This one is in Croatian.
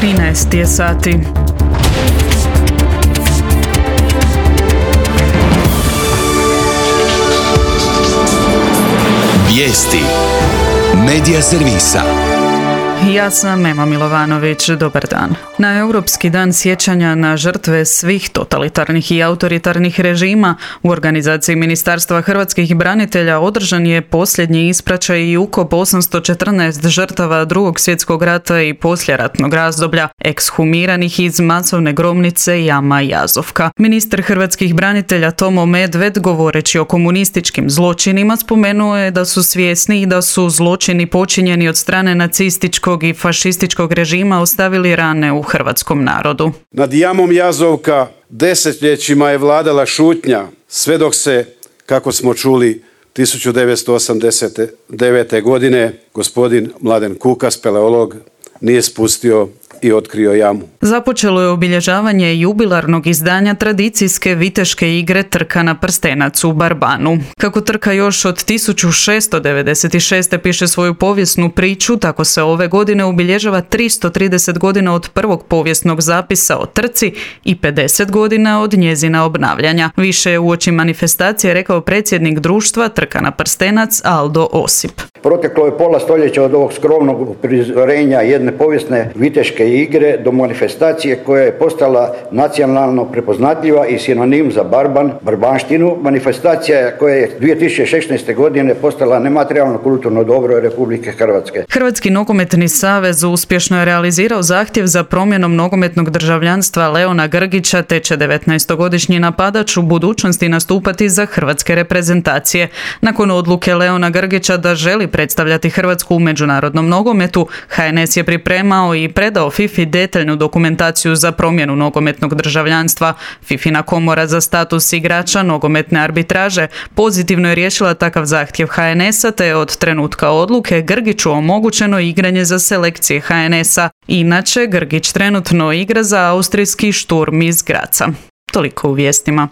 13 je sati. Vijesti Medija servisa. Ja sam Ema Milovanović, dobar dan. Na Europski dan sjećanja na žrtve svih totalitarnih i autoritarnih režima u organizaciji Ministarstva hrvatskih branitelja održan je posljednji ispraćaj i ukop 814 žrtava Drugog svjetskog rata i poslijeratnog razdoblja, ekshumiranih iz masovne grobnice Jama Jazovka. Ministar hrvatskih branitelja Tomo Medved, govoreći o komunističkim zločinima, spomenuo je da su svjesni i da su zločini počinjeni od strane nacističkog i fašističkog režima ostavili rane u hrvatskom narodu. Nad Jamom Jazovka desetljećima je vladala šutnja, sve dok se, kako smo čuli, 1989. godine gospodin Mladen Kuka, speleolog, nije spustio i otkrio jamu. Započelo je obilježavanje jubilarnog izdanja tradicijske viteške igre Trka na prstenac u Barbanu. Kako trka još od 1696. piše svoju povijesnu priču, tako se ove godine obilježava 330 godina od prvog povijesnog zapisa o trci i 50 godina od njezina obnavljanja. Više je uoči manifestacije rekao predsjednik društva Trka na prstenac Aldo Osip. Proteklo je pola stoljeća od ovog skromnog prizorenja jedne povijesne viteške igre do manifestacije koja je postala nacionalno prepoznatljiva i sinonim za barbanštinu. Manifestacija koja je 2016. godine postala nematerijalno kulturno dobro Republike Hrvatske. Hrvatski nogometni savez uspješno je realizirao zahtjev za promjenom nogometnog državljanstva Leona Grgića, te će 19-godišnji napadač u budućnosti nastupati za hrvatske reprezentacije. Nakon odluke Leona Grgića da želi predstavljati Hrvatsku u međunarodnom nogometu, HNS je pripremao i predao FIFA detaljnu dokumentaciju za promjenu nogometnog državljanstva. FIFA-ina komora za status igrača nogometne arbitraže pozitivno je riješila takav zahtjev HNS-a, te je od trenutka odluke Grgiću omogućeno igranje za selekcije HNS-a. Inače, Grgić trenutno igra za austrijski Sturm iz Graca. Toliko u vijestima.